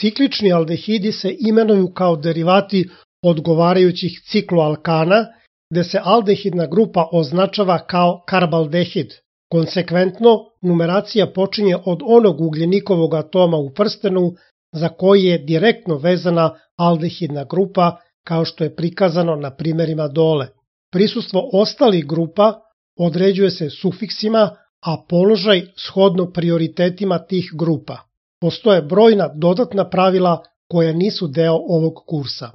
Ciklični aldehidi se imenuju kao derivati odgovarajućih cikloalkana, gde se aldehidna grupa označava kao karbaldehid. Konsekventno, numeracija počinje od onog ugljenikovog atoma u prstenu za koji je direktno vezana aldehidna grupa, kao što je prikazano na primerima dole. Prisustvo ostalih grupa određuje se sufiksima, a položaj shodno prioritetima tih grupa. Postoje brojna dodatna pravila koja nisu deo ovog kursa.